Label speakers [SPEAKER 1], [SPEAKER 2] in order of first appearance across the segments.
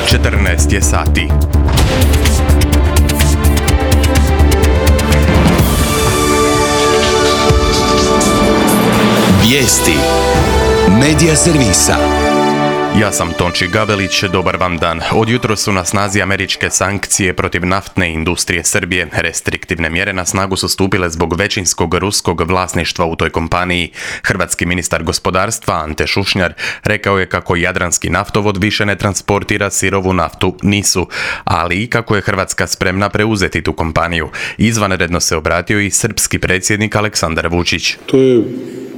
[SPEAKER 1] 14 je sati.
[SPEAKER 2] Vijesti Medija servisa.
[SPEAKER 1] Ja sam Tonči Gavelić, dobar vam dan. Od jutros su na snazi američke sankcije protiv naftne industrije Srbije. Restriktivne mjere na snagu su stupile zbog većinskog ruskog vlasništva u toj kompaniji. Hrvatski ministar gospodarstva Ante Šušnjar rekao je kako jadranski naftovod više ne transportira sirovu naftu, nisu, ali i kako je Hrvatska spremna preuzeti tu kompaniju. Izvanredno se obratio i srpski predsjednik Aleksandar Vučić.
[SPEAKER 3] To je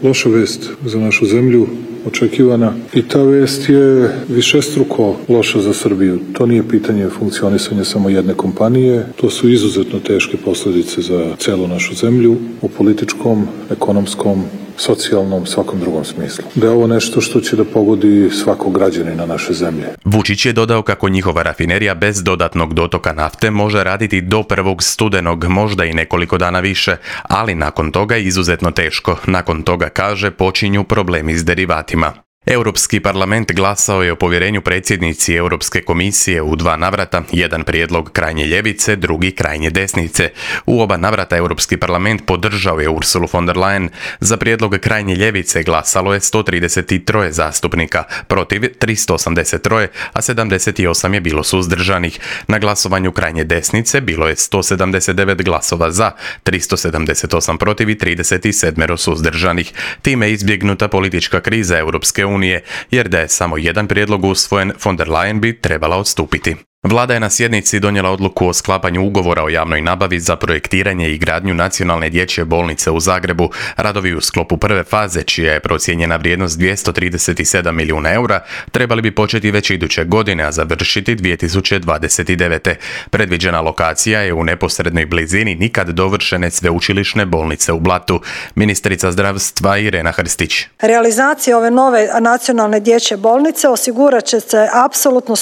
[SPEAKER 3] loša vest za našu zemlju, očekivana, i ta vest je višestruko loša za Srbiju. To nije pitanje funkcionisanja samo jedne kompanije, to su izuzetno teške posljedice za celu našu zemlju u političkom, ekonomskom, socijalnom, svakom drugom smislu. Da je ovo nešto što će da pogodi svakog građanina naše zemlje.
[SPEAKER 1] Vučić je dodao kako njihova rafinerija bez dodatnog dotoka nafte može raditi do 1. studenog, možda i nekoliko dana više, ali nakon toga je izuzetno teško. Nakon toga, kaže, počinju problemi s derivatima. Europski parlament glasao je o povjerenju predsjednici Europske komisije u 2 navrata, jedan prijedlog krajnje ljevice, drugi krajnje desnice. U oba navrata Europski parlament podržao je Ursulu von der Leyen. Za prijedlog krajnje ljevice glasalo je 133 zastupnika, protiv 383, a 78 je bilo suzdržanih. Na glasovanju krajnje desnice bilo je 179 glasova za, 378 protiv i 37 suzdržanih. Time je izbjegnuta politička kriza Europske unije, jer da je samo jedan prijedlog usvojen, von der Leyen bi trebala odstupiti. Vlada je na sjednici donijela odluku o sklapanju ugovora o javnoj nabavi za projektiranje i gradnju nacionalne dječje bolnice u Zagrebu. Radovi u sklopu prve faze, čija je procijenjena vrijednost 237 milijuna eura, trebali bi početi već iduće godine, a završiti 2029. Predviđena lokacija je u neposrednoj blizini nikad dovršene sveučilišne bolnice u Blatu. Ministrica zdravstva Irena Hrstić.
[SPEAKER 4] Realizacija ove nove nacionalne dječje bolnice osigurat će se apsolutno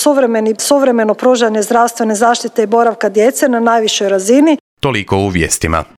[SPEAKER 4] suvremeno pružanje zdravstvene zaštite i boravka djece na najvišoj razini.
[SPEAKER 1] Toliko u vijestima.